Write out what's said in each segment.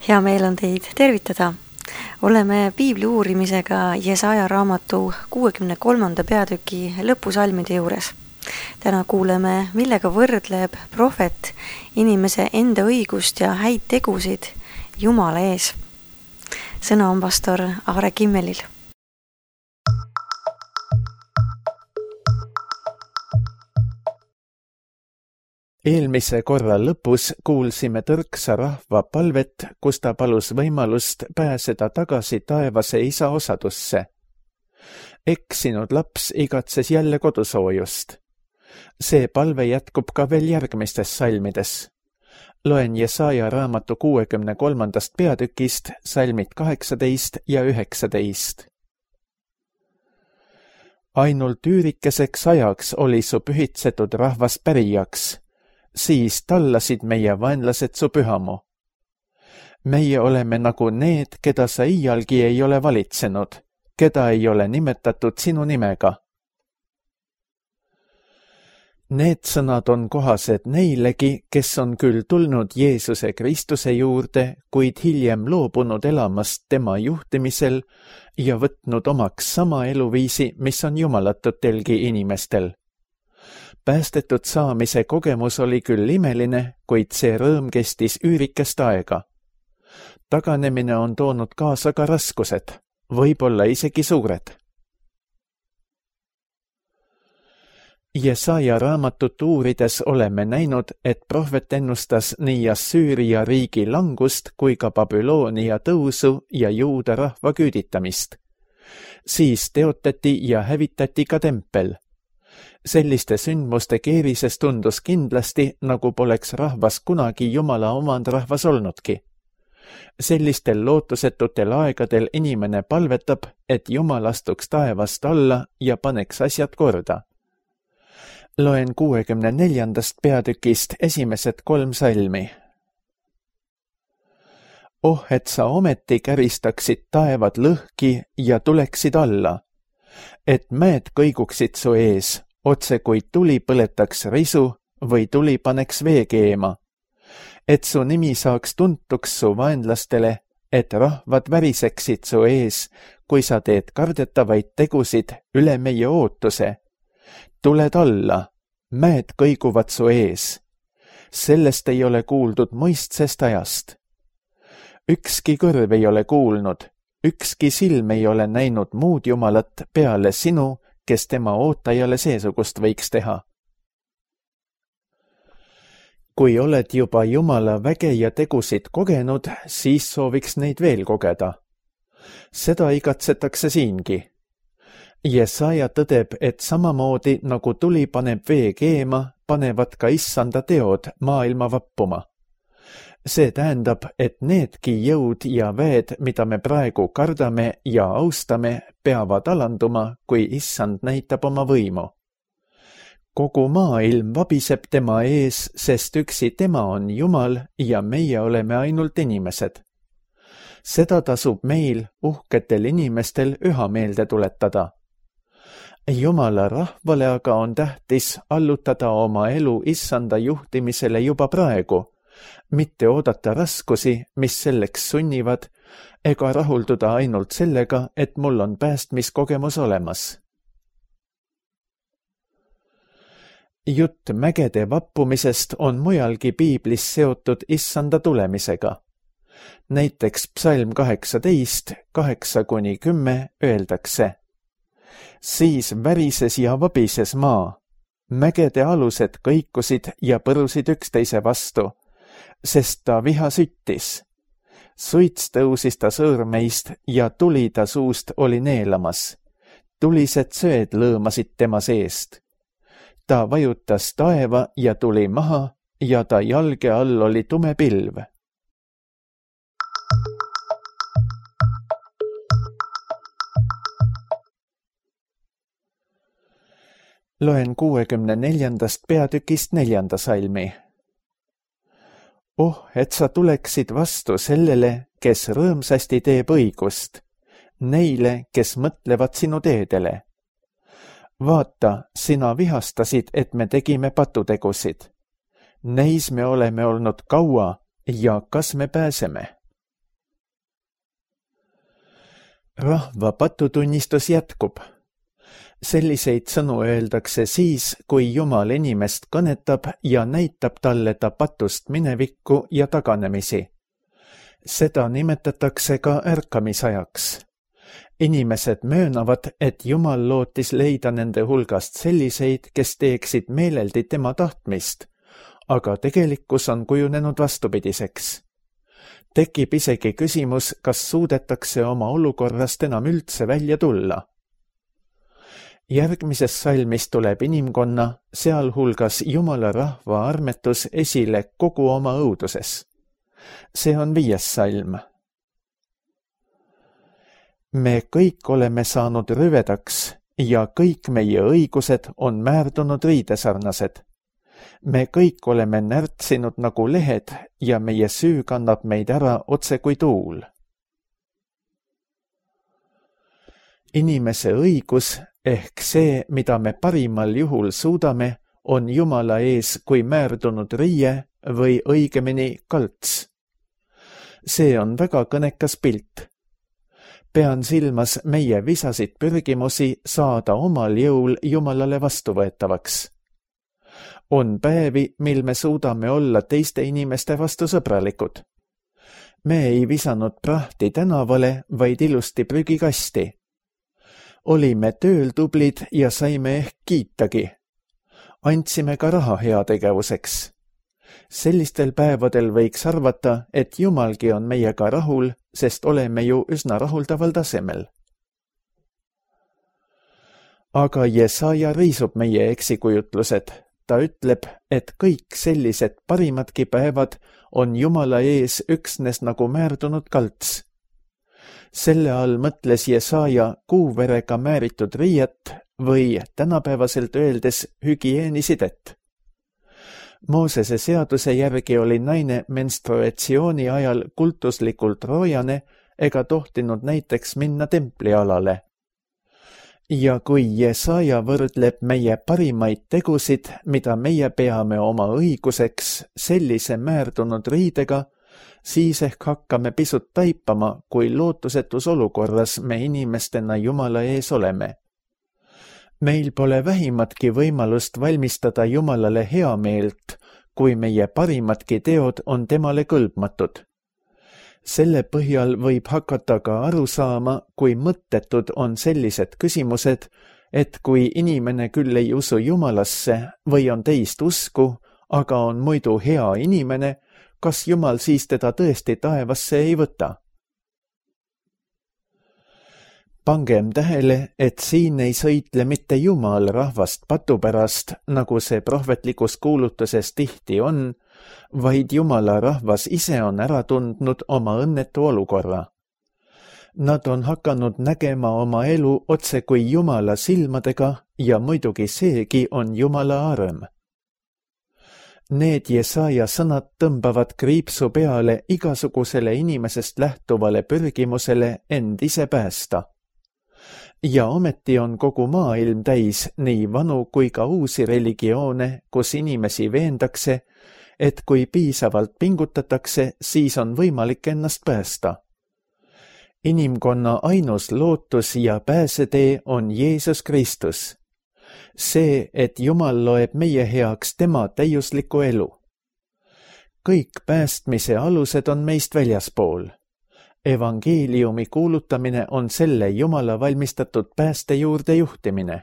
Hea meel on teid tervitada. Oleme piibli uurimisega Jesaja raamatu 63. peatüki lõpusalmide juures. Täna kuuleme, millega võrdleb prohvet inimese enda õigust ja häid tegusid Jumala ees. Sõna on pastor Aare Kimmelil. Eelmise korra lõpus kuulsime tõrksa rahva palvet, kus ta palus võimalust pääseda tagasi taevase isa osadusse. Eksinud laps igatses jälle kodusoojust. See palve jätkub ka veel järgmistes salmides. Loen Jesaja raamatu 63. peatükist salmid 18 ja 19. Ainult üürikeseks ajaks oli su pühitsetud rahvas pärijaks. Siis tallasid meie vaenlased su pühamu. Meie oleme nagu need, keda sa iialgi ei ole valitsenud, keda ei ole nimetatud sinu nimega. Need sõnad on kohased neilegi, kes on küll tulnud Jeesuse Kristuse juurde, kuid hiljem loobunud elamast tema juhtimisel ja võtnud omaks sama eluviisi, mis on jumalatutelgi inimestel. Päästetud saamise kogemus oli küll imeline, kuid see rõõm kestis üürikest aega. Taganemine on toonud kaasa ka raskused, võib-olla isegi suured. Jesaja raamatut uurides oleme näinud, et prohvet ennustas nii Assüüria riigi langust kui ka Babyloonia tõusu ja juuda rahva küüditamist. Siis teotati ja hävitati ka tempel. Selliste sündmuste keerises tundus kindlasti, nagu poleks rahvas kunagi Jumala omandrahvas olnudki. Sellistel lootusetutel aegadel inimene palvetab, et Jumal astuks taevast alla ja paneks asjad korda. Loen 64. peatükist esimesed 3 salmi. Oh, et sa ometi käristaksid taevad lõhki ja tuleksid alla, et mäed kõiguksid su ees, otse kui tuli põletaks risu või tuli paneks vee keema, et su nimi saaks tuntuks su vaenlastele, et rahvad väriseksid su ees, kui sa teed kardetavaid tegusid üle meie ootuse. Tuled alla, mäed kõiguvad su ees. Sellest ei ole kuuldud muistsest ajast. Ükski kõrv ei ole kuulnud, ükski silm ei ole näinud muud Jumalat peale sinu, kes tema ootajale seesugust võiks teha. Kui oled juba Jumala väge ja tegusid kogenud, siis sooviks neid veel kogeda. Seda igatsetakse siingi. Jesaja tõdeb, et samamoodi nagu tuli paneb vee keema, panevad ka issanda teod maailma vappuma. See tähendab, et needki jõud ja väed, mida me praegu kardame ja austame, peavad alanduma, kui issand näitab oma võimu. Kogu maailm vabiseb tema ees, sest üksi tema on Jumal ja meie oleme ainult inimesed. Seda tasub meil, uhketel inimestel, üha meelde tuletada. Jumala rahvale aga on tähtis allutada oma elu issanda juhtimisele juba praegu, mitte oodata raskusi, mis selleks sunnivad, ega rahulduda ainult sellega, et mul on päästmiskogemus olemas. Jutt mägede vappumisest on mujalgi piiblis seotud issanda tulemisega. Näiteks psalm 18, 8-10 öeldakse. Siis värises ja vabises maa, mägede alused kõikusid ja põrusid üksteise vastu, sest ta viha süttis. Suits tõusis ta sõõrmeist ja tuli ta suust oli neelamas. Tulised söed lõõmasid tema seest. Ta vajutas taeva ja tuli maha ja ta jalge all oli tume pilv. Loen 64. peatükist 4. salmi. Oh, et sa tuleksid vastu sellele, kes rõõmsasti teeb õigust, neile, kes mõtlevad sinu teedele. Vaata, sina vihastasid, et me tegime patutegusid. Neis me oleme olnud kaua ja kas me pääseme? rahva patutunnistus jätkub. Selliseid sõnu öeldakse siis, kui Jumal inimest kõnetab ja näitab talle ta patust minevikku ja taganemisi. Seda nimetatakse ka ärkamisajaks. Inimesed möönavad, et Jumal lootis leida nende hulgast selliseid, kes teeksid meeleldi tema tahtmist, aga tegelikkus on kujunenud vastupidiseks. Tekib isegi küsimus, kas suudetakse oma olukorrast enam üldse välja tulla. Järgmises salmis tuleb inimkonna, sealhulgas Jumala rahva armetus esile kogu oma õuduses. See on 5. salm. Me kõik oleme saanud rüvedaks ja kõik meie õigused on määrdunud riidesarnased. Me kõik oleme närtsinud nagu lehed ja meie süü kannab meid ära otse kui tuul. Inimese õigus ehk see, mida me parimal juhul suudame, on Jumala ees kui määrdunud riie või õigemini kalts. See on väga kõnekas pilt. Pean silmas meie visasid pürgimusi saada omal jõul Jumalale vastuvõetavaks. On päevi, mil me suudame olla teiste inimeste vastu sõbralikud. Me ei visanud prahti tänavale, vaid ilusti prügikasti. Olime tööl tublid ja saime ehk kiitagi. Andsime ka raha heategevuseks. Sellistel päevadel võiks arvata, et Jumalgi on meiega rahul, sest oleme ju üsna rahuldaval tasemel. Aga Jesaja riisub meie eksikujutlused. Ta ütleb, et kõik sellised parimadki päevad on Jumala ees üksnes nagu määrdunud kalts. Selle all mõtles Jesaja kuuverega määritud riiet või tänapäevaselt öeldes hügieenisidet. Moosese seaduse järgi oli naine menstruatsiooni ajal kultuslikult roojane ega tohtinud näiteks minna templialale. Ja kui Jesaja võrdleb meie parimaid tegusid, mida meie peame oma õiguseks, sellise määrdunud riidega, siis ehk hakkame pisut taipama, kui lootusetus olukorras me inimestena Jumala ees oleme. Meil pole vähimatki võimalust valmistada Jumalale heameelt, kui meie parimadki teod on temale kõlbmatud. Selle põhjal võib hakata ka aru saama, kui mõttetud on sellised küsimused, et kui inimene küll ei usu Jumalasse või on teist usku, aga on muidu hea inimene, kas Jumal siis teda tõesti taevasse ei võta? Pangem tähele, et siin ei sõitle mitte Jumal rahvast patu pärast, nagu see prohvetlikus kuulutuses tihti on, vaid Jumala rahvas ise on ära tundnud oma õnnetu olukorra. Nad on hakanud nägema oma elu otse kui Jumala silmadega ja muidugi seegi on Jumala arm. Need Jesaja sõnad tõmbavad kriipsu peale igasugusele inimesest lähtuvale pürgimusele end ise päästa. Ja ometi on kogu maailm täis nii vanu kui ka uusi religioone, kus inimesi veendakse, et kui piisavalt pingutatakse, siis on võimalik ennast päästa. Inimkonna ainus lootus ja pääsetee on Jeesus Kristus. See, et Jumal loeb meie heaks tema täiuslikku elu. Kõik päästmise alused on meist väljaspool. Evangeeliumi kuulutamine on selle Jumala valmistatud pääste juurde juhtimine.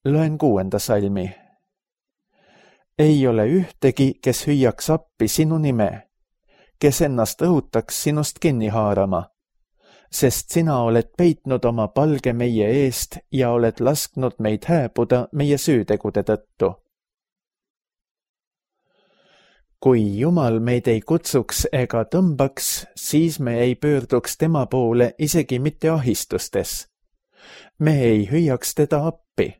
Loen 6. salmi. Ei ole ühtegi, kes hüüaks appi sinu nime, kes ennast õhutaks sinust kinni haarama, sest sina oled peitnud oma palge meie eest ja oled lasknud meid hääbuda meie süütegude tõttu. Kui Jumal meid ei kutsuks ega tõmbaks, siis me ei pöörduks tema poole isegi mitte ahistustes. Me ei hüüaks teda appi.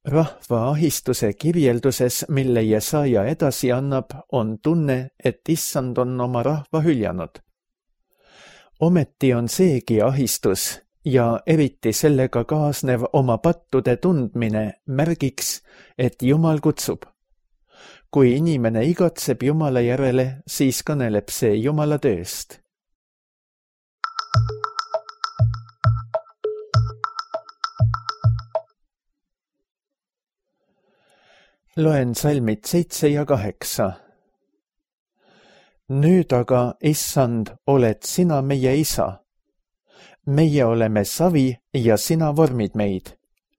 Rahva ahistuse kirjelduses, mille Jesaja edasi annab, on tunne, et Issand on oma rahva hüljanud. Ometi on seegi ahistus ja eriti sellega kaasnev oma pattude tundmine märgiks, et Jumal kutsub. Kui inimene igatseb Jumala järele, siis kõneleb see Jumala tööst. Loen salmid 7 ja 8. Nüüd aga, issand, oled sina meie isa. Meie oleme savi ja sina vormid meid.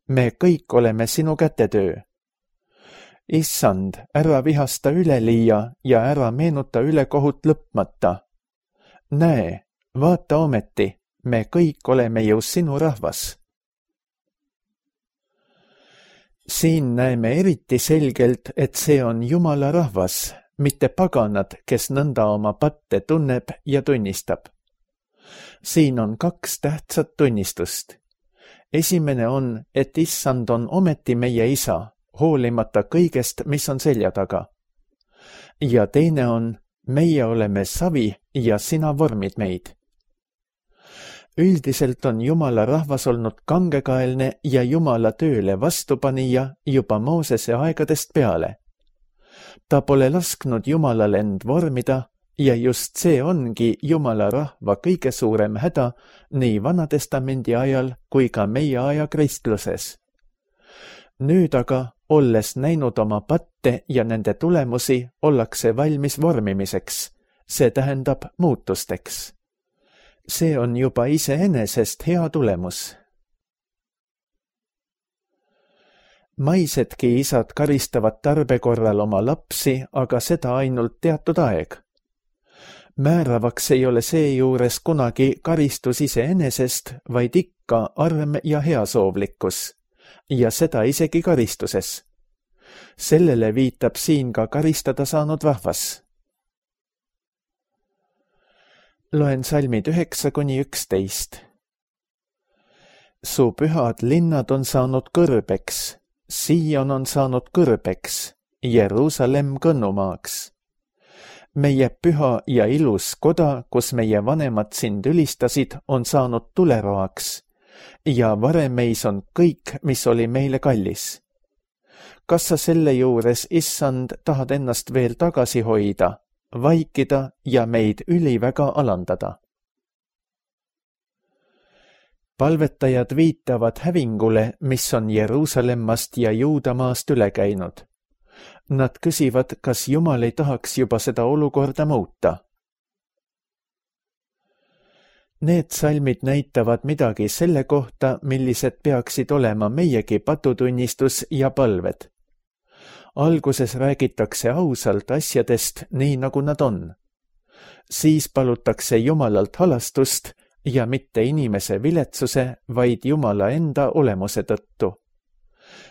Me kõik oleme sinu kätetöö. Issand, ära vihasta üleliia ja ära meenuta ülekohut lõpmata. Näe, vaata ometi, me kõik oleme ju sinu rahvas. Siin näeme eriti selgelt, et see on Jumala rahvas, mitte paganad, kes nõnda oma patte tunneb ja tunnistab. Siin on 2 tähtsat tunnistust. Esimene on, et issand on ometi meie isa, hoolimata kõigest, mis on selja taga. Ja teine on, meie oleme savi ja sina vormid meid. Üldiselt on Jumala rahvas olnud kangekaelne ja Jumala tööle vastupanija juba Moosese aegadest peale. Ta pole lasknud Jumalal end vormida ja just see ongi Jumala rahva kõige suurem häda nii Vanatestamendi ajal kui ka meie aja kristluses. Nüüd aga, olles näinud oma patte ja nende tulemusi, ollakse valmis vormimiseks, see tähendab muutusteks. See on juba iseenesest hea tulemus. Maisedki isad karistavad tarbe korral oma lapsi, aga seda ainult teatud aeg. Määravaks ei ole seejuures kunagi karistus iseenesest, vaid ikka arm ja heasoovlikkus, ja seda isegi karistuses. Sellele viitab siin ka karistada saanud rahvas. Loen salmid 9–11. Su pühad linnad on saanud kõrbeks, Sion on saanud kõrbeks, Jeruusalemm kõnnumaaks. Meie püha ja ilus koda, kus meie vanemad sind ülistasid, on saanud tuleroaks ja varemeis on kõik, mis oli meile kallis. Kas sa selle juures, issand, tahad ennast veel tagasi hoida, vaikida ja meid üliväga alandada? Palvetajad viitavad hävingule, mis on Jeruusalemmast ja Juudamaast üle käinud. Nad küsivad, kas Jumal ei tahaks juba seda olukorda muuta. Need salmid näitavad midagi selle kohta, millised peaksid olema meiegi patutunnistus ja palved. Alguses räägitakse ausalt asjadest nii, nagu nad on. Siis palutakse Jumalalt halastust ja mitte inimese viletsuse, vaid Jumala enda olemuse tõttu.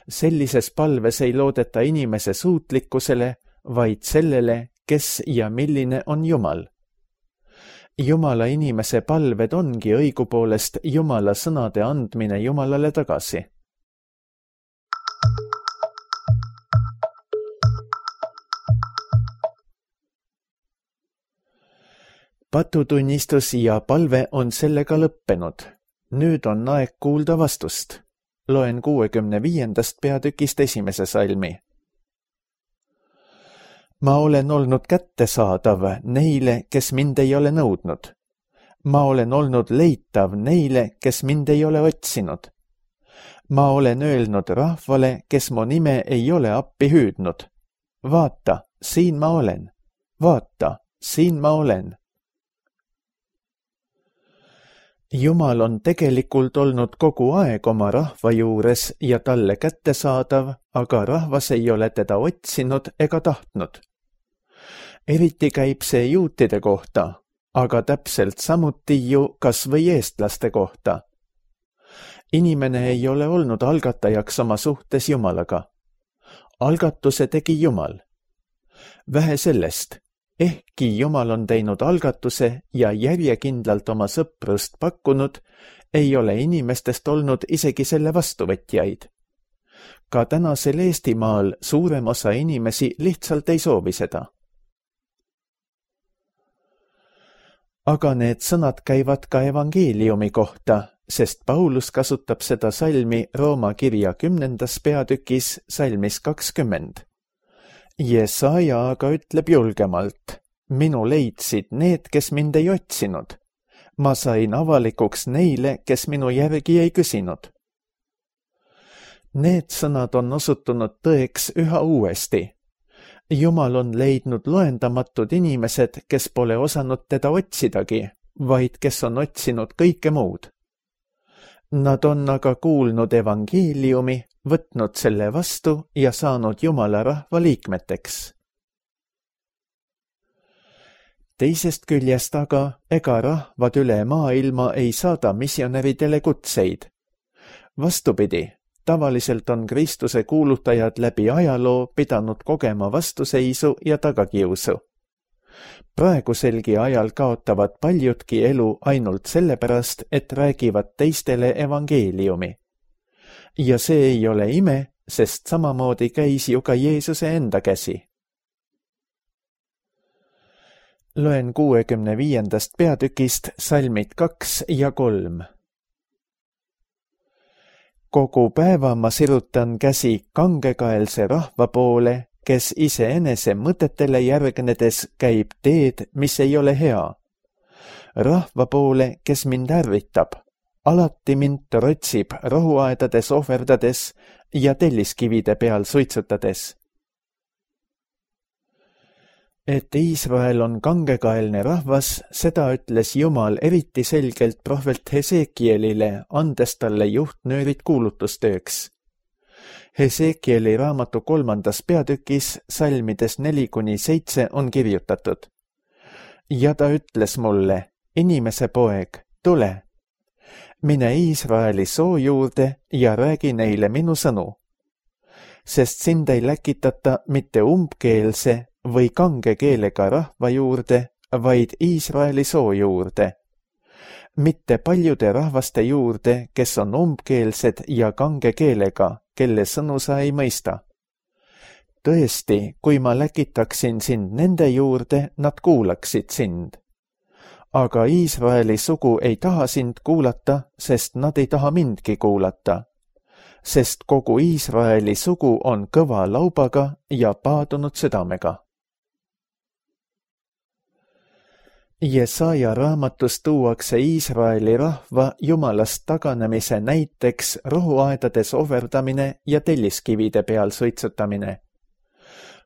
Sellises palves ei loodeta inimese suutlikkusele, vaid sellele, kes ja milline on Jumal. Jumala inimese palved ongi õigupoolest Jumala sõnade andmine Jumalale tagasi. Patutunnistus ja palve on sellega lõppenud. Nüüd on aeg kuulda vastust. Loen 65. peatükist 1. salmi. Ma olen olnud kättesaadav neile, kes mind ei ole nõudnud. Ma olen olnud leitav neile, kes mind ei ole otsinud. Ma olen öelnud rahvale, kes mu nime ei ole appi hüüdnud. Vaata, siin ma olen. Vaata, siin ma olen. Jumal on tegelikult olnud kogu aeg oma rahva juures ja talle kättesaadav, aga rahvas ei ole teda otsinud ega tahtnud. Eriti käib see juutide kohta, aga täpselt samuti ju kas või eestlaste kohta. Inimene ei ole olnud algatajaks oma suhtes Jumalaga. Algatuse tegi Jumal. Vähe sellest. Ehkki Jumal on teinud algatuse ja järjekindlalt oma sõprust pakkunud, ei ole inimestest olnud isegi selle vastuvõtjaid. Ka tänasel Eestimaal suurem osa inimesi lihtsalt ei soovi seda. Aga need sõnad käivad ka evangeeliumi kohta, sest Paulus kasutab seda salmi Rooma kirja 10. peatükis salmis 20. Jesaja aga ütleb julgemalt, minu leidsid need, kes mind ei otsinud. Ma sain avalikuks neile, kes minu järgi ei küsinud. Need sõnad on osutunud tõeks üha uuesti. Jumal on leidnud loendamatud inimesed, kes pole osanud teda otsidagi, vaid kes on otsinud kõike muud. Nad on aga kuulnud evangeeliumi, võtnud selle vastu ja saanud Jumala rahva liikmeteks. Teisest küljest aga ega rahvad üle maailma ei saada missionäridele kutseid. Vastupidi, tavaliselt on Kristuse kuulutajad läbi ajaloo pidanud kogema vastuseisu ja tagakiusu. Praeguselgi ajal kaotavad paljudki elu ainult sellepärast, et räägivad teistele evangeeliumi. Ja see ei ole ime, sest samamoodi käis ju ka Jeesuse enda käsi. Loen 65. peatükist salmid 2 ja 3. Kogu päeva ma sirutan käsi kangekaelse rahva poole, kes iseenese mõtetele järgnedes käib teed, mis ei ole hea. Rahva poole, kes mind ärritab, alati mind trotsib rohuaedades ohverdades ja telliskivide peal suitsutades. Et Iisrael on kangekaelne rahvas, seda ütles Jumal eriti selgelt prohvet Hesekielile, andes talle juhtnöörid kuulutustööks. Hesekieli raamatu 3. peatükis salmides 4-7 on kirjutatud. Ja ta ütles mulle, inimese poeg, tule, mine Iisraeli soo juurde ja räägi neile minu sõnu. Sest sind ei läkitata mitte umbkeelse või kange keelega rahva juurde, vaid Iisraeli soo juurde. Mitte paljude rahvaste juurde, kes on umbkeelsed ja kange keelega, kelle sõnu sa ei mõista. Tõesti, kui ma läkitaksin sind nende juurde, nad kuulaksid sind. Aga Iisraeli sugu ei taha sind kuulata, sest nad ei taha mindki kuulata. Sest kogu Iisraeli sugu on kõva laubaga ja paadunud südamega. Jesaja raamatus tuuakse Iisraeli rahva Jumalast taganemise näiteks rohuaedades ohverdamine ja telliskivide peal suitsutamine.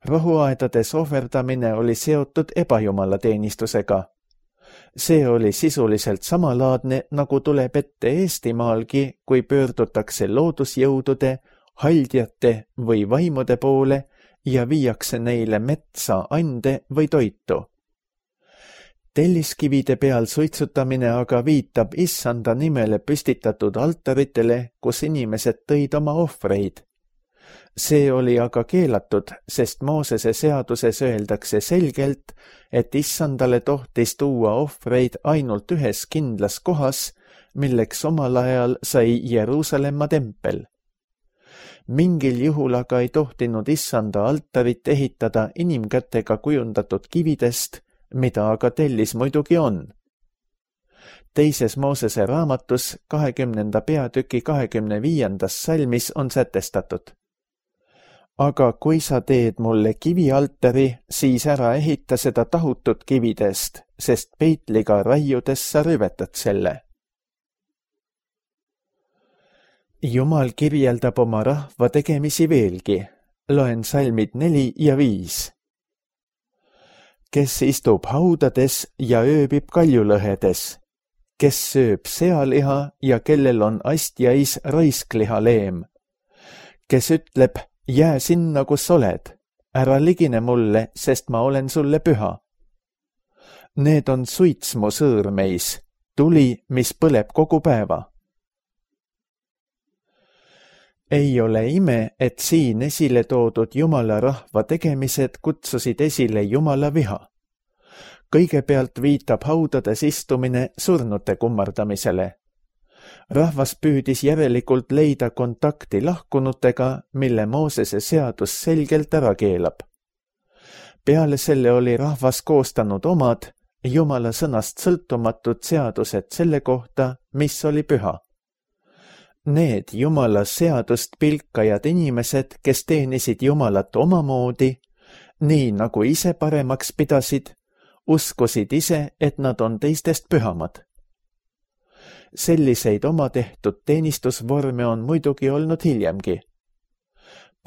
Rohuaedades ohverdamine oli seotud ebajumala teenistusega. See oli sisuliselt samalaadne, nagu tuleb ette Eestimaalgi, kui pöördutakse loodusjõudude, haldjate või vaimude poole ja viiakse neile metsa ande või toitu. Telliskivide peal suitsutamine aga viitab Issanda nimele püstitatud altaritele, kus inimesed tõid oma ohvreid. See oli aga keelatud, sest Moosese seaduses öeldakse selgelt, et Issandale tohtis tuua ohvreid ainult ühes kindlas kohas, milleks omal ajal sai Jeruusalemma tempel. Mingil juhul aga ei tohtinud Issanda altarit ehitada inimkätega kujundatud kividest, mida aga tellis muidugi on. Teises Moosese raamatus 20. peatüki 25. salmis on sätestatud. Aga kui sa teed mulle kivialtari, siis ära ehita seda tahutud kividest, sest peitliga raiudes sa rüvetad selle. Jumal kirjeldab oma rahva tegemisi veelgi. Loen salmid 4 ja 5. Kes istub haudades ja ööbib kaljulõhedes, kes sööb sealiha ja kellel on astjais raiskliha-leem, kes ütleb, jää sinna, kus oled, ära ligine mulle, sest ma olen sulle püha. Need on suits mu sõõrmeis, tuli, mis põleb kogu päeva. Ei ole ime, et siin esile toodud Jumala rahva tegemised kutsusid esile Jumala viha. Kõigepealt viitab haudades istumine surnute kummardamisele. Rahvas püüdis järelikult leida kontakti lahkunutega, mille Moosese seadus selgelt ära keelab. Peale selle oli rahvas koostanud omad, Jumala sõnast sõltumatud seadused selle kohta, mis oli püha. Need Jumala seadust pilkajad inimesed, kes teenisid Jumalat omamoodi, nii nagu ise paremaks pidasid, uskusid ise, et nad on teistest pühamad. Selliseid oma tehtud teenistusvorme on muidugi olnud hiljemgi,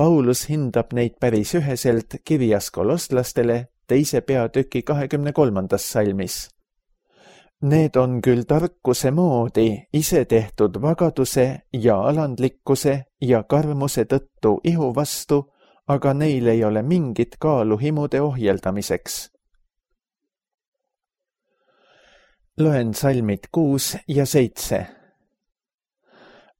Paulus hindab neid päris üheselt kirjas kolosslastele 2. peatüki 23. salmis. Need on küll tarkuse moodi ise tehtud vagaduse ja alandlikkuse ja karmuse tõttu ihu vastu, aga neil ei ole mingit kaalu himude ohjeldamiseks. Loen salmid 6 ja 7.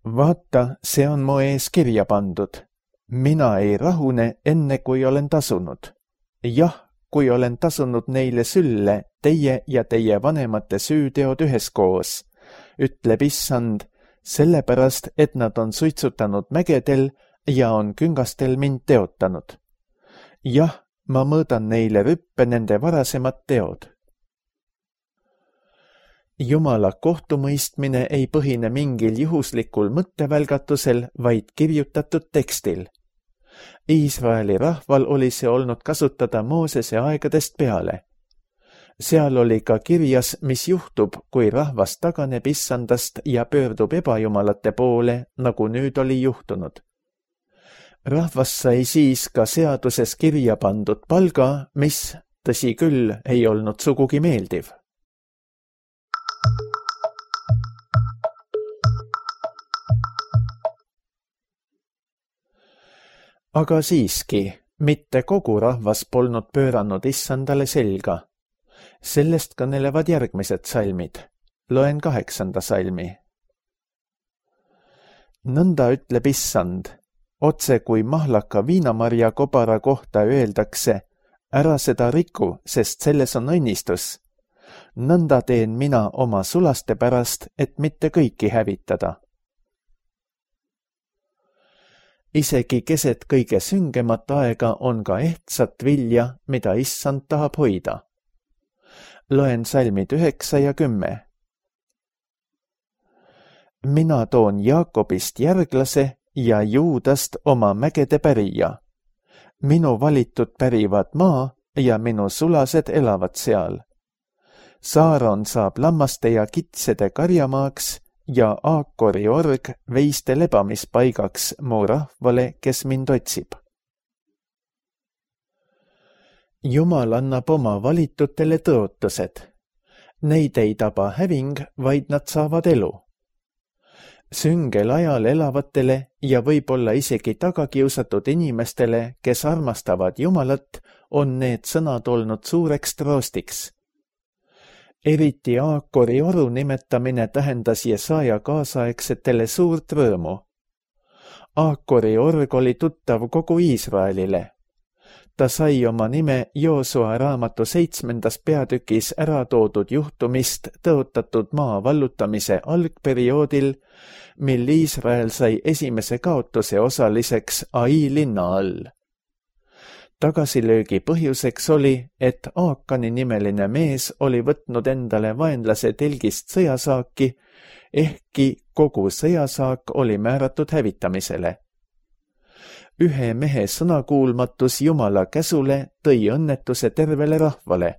Vaata, see on mu ees kirja pandud. Mina ei rahune enne, kui olen tasunud. Jah, kui olen tasunud neile sülle teie ja teie vanemate süüteod üheskoos, ütleb issand, sellepärast, et nad on suitsutanud mägedel ja on küngastel mind teotanud. Jah, ma mõõdan neile rüppe nende varasemad teod. Jumala kohtumõistmine ei põhine mingil juhuslikul mõttevälgatusel, vaid kirjutatud tekstil. Iisraeli rahval oli see olnud kasutada Moosese aegadest peale. Seal oli ka kirjas, mis juhtub, kui rahvas taganeb issandast ja pöördub ebajumalate poole, nagu nüüd oli juhtunud. Rahvas sai siis ka seaduses kirja pandud palga, mis, tõsi küll, ei olnud sugugi meeldiv. Aga siiski, mitte kogu rahvas polnud pööranud issandale selga. Sellest kõnelevad järgmised salmid. Loen 8. salmi. Nõnda ütleb issand, otse kui mahlaka viinamarja kobara kohta öeldakse, ära seda riku, sest selles on õnnistus. Nõnda teen mina oma sulaste pärast, et mitte kõiki hävitada. Isegi keset kõige süngemat aega on ka ehtsat vilja, mida issand tahab hoida. Loen salmid 9 ja 10. Mina toon Jaakobist järglase ja Juudast oma mägede pärija. Minu valitud pärivad maa ja minu sulased elavad seal. Saaron saab lammaste ja kitsede karjamaaks ja Aakori org veiste lebamispaigaks mu rahvale, kes mind otsib. Jumal annab oma valitutele tõotused. Neid ei taba häving, vaid nad saavad elu. Süngel ajal elavatele ja võib-olla isegi tagakiusatud inimestele, kes armastavad Jumalat, on need sõnad olnud suureks troostiks. Eriti Aakori oru nimetamine tähendas Jesaja kaasaegsetele suurt rõõmu. Aakori org oli tuttav kogu Iisraelile. Ta sai oma nime Joosua raamatu 7. peatükis ära toodud juhtumist tõotatud maa vallutamise algperioodil, mil Iisrael sai esimese kaotuse osaliseks Ai linna all. Tagasilöögi põhjuseks oli, et Aakani nimeline mees oli võtnud endale vaenlase telgist sõjasaaki, ehkki kogu sõjasaak oli määratud hävitamisele. Ühe mehe sõnakuulmatus Jumala käsule tõi õnnetuse tervele rahvale.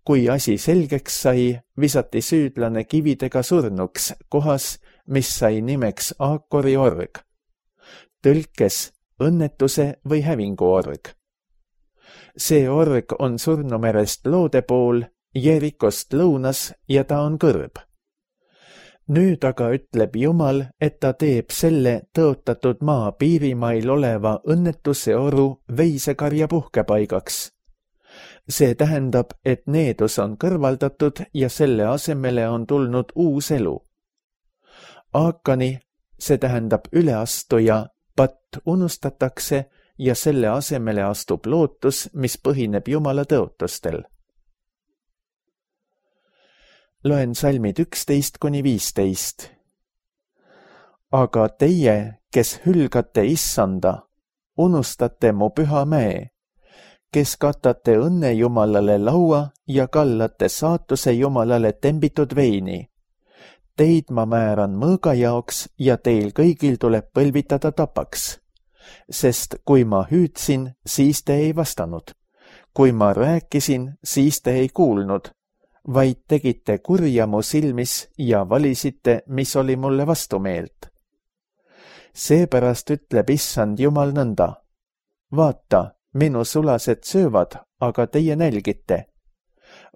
Kui asi selgeks sai, visati süüdlane kividega surnuks kohas, mis sai nimeks Aakori org. Tõlkes õnnetuse või hävingu org. See org on Surnumerest loode pool, Jerikost lõunas ja ta on kõrb. Nüüd aga ütleb Jumal, et ta teeb selle tõotatud maa piirimail oleva õnnetuse oru veisekarja puhkepaigaks. See tähendab, et needus on kõrvaldatud ja selle asemele on tulnud uus elu. Aakani, see tähendab üleastuja, patt unustatakse ja selle asemele astub lootus, mis põhineb Jumala tõotustel. Loen salmid 11–15. Aga teie, kes hülgate issanda, unustate mu püha mäe, kes katate õnne Jumalale laua ja kallate saatuse Jumalale tembitud veini. Teid ma määran mõõga jaoks ja teil kõigil tuleb põlvitada tapaks. Sest kui ma hüüdsin, siis te ei vastanud. Kui ma rääkisin, siis te ei kuulnud, vaid tegite kurja mu silmis ja valisite, mis oli mulle vastumeelt. Seepärast ütleb Issand Jumal nõnda. Vaata, minu sulased söövad, aga teie nälgite.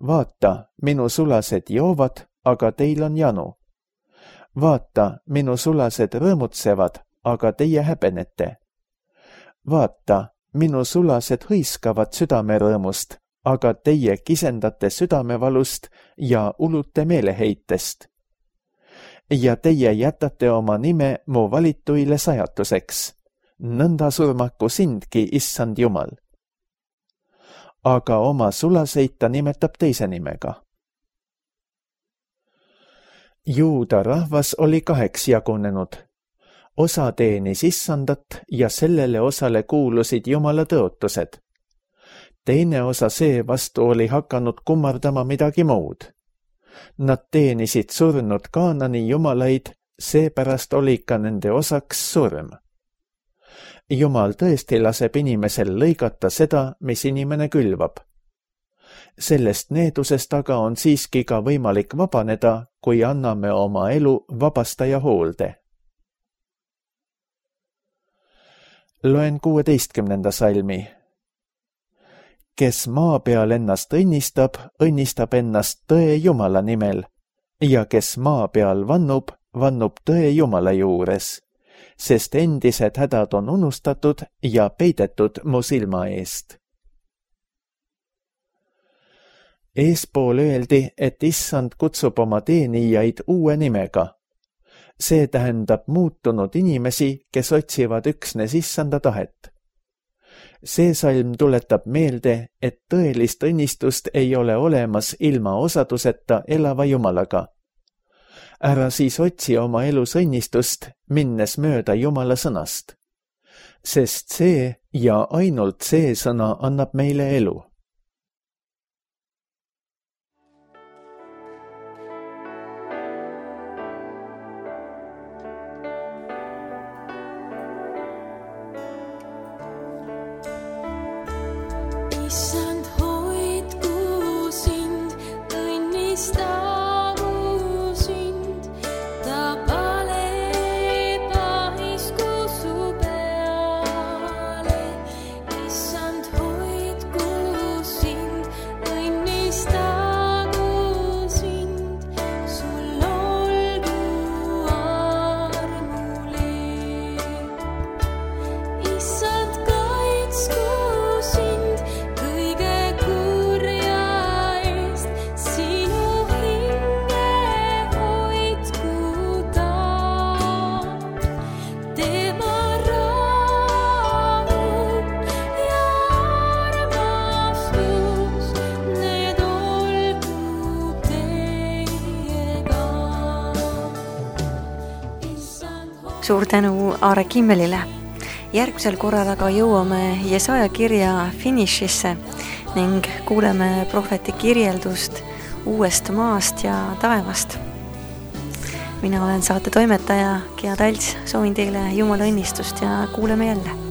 Vaata, minu sulased joovad, aga teil on janu. Vaata, minu sulased rõõmutsevad, aga teie häbenete. Vaata, minu sulased hõiskavad südamerõõmust, aga teie kisendate südamevalust ja ulute meeleheitest. Ja teie jätate oma nime mu valituile sajatuseks. Nõnda surmaku sindki, Issand Jumal. Aga oma sulaseid ta nimetab teise nimega. Juuda rahvas oli 2 jagunenud. Osa teenis Issandat ja sellele osale kuulusid Jumala tõotused. Teine osa seevastu oli hakanud kummardama midagi muud. Nad teenisid surnud Kaanani jumalaid, seepärast oli ka nende osaks surm. Jumal tõesti laseb inimesel lõigata seda, mis inimene külvab. Sellest needusest aga on siiski ka võimalik vabaneda, kui anname oma elu vabastaja hoolde. Loen 16. salmi. Kes maa peal ennast õnnistab, õnnistab ennast tõe Jumala nimel, ja kes maa peal vannub, vannub tõe Jumala juures, sest endised hädad on unustatud ja peidetud mu silma eest. Eespool öeldi, et Issand kutsub oma teenijaid uue nimega. See tähendab muutunud inimesi, kes otsivad üksnes Issanda tahet. See salm tuletab meelde, et tõelist õnnistust ei ole olemas ilma osaduseta elava Jumalaga. Ära siis otsi oma elus õnnistust, minnes mööda Jumala sõnast. Sest see ja ainult see sõna annab meile elu. Issand, hoidku sind, õnnistagu sind, ta paleb ahisku su peale. Issand, hoidku sind, õnnistagu sind, sul olgu armuleeb. Issand, kaitsku sind, suur tänu Aare Kimmelile. Järgmisel korral aga jõuame Jesaja kirja finišisse ning kuuleme prohveti kirjeldust uuest maast ja taevast. Mina olen saate toimetaja Gea Talts, soovin teile Jumala õnnistust ja kuuleme jälle.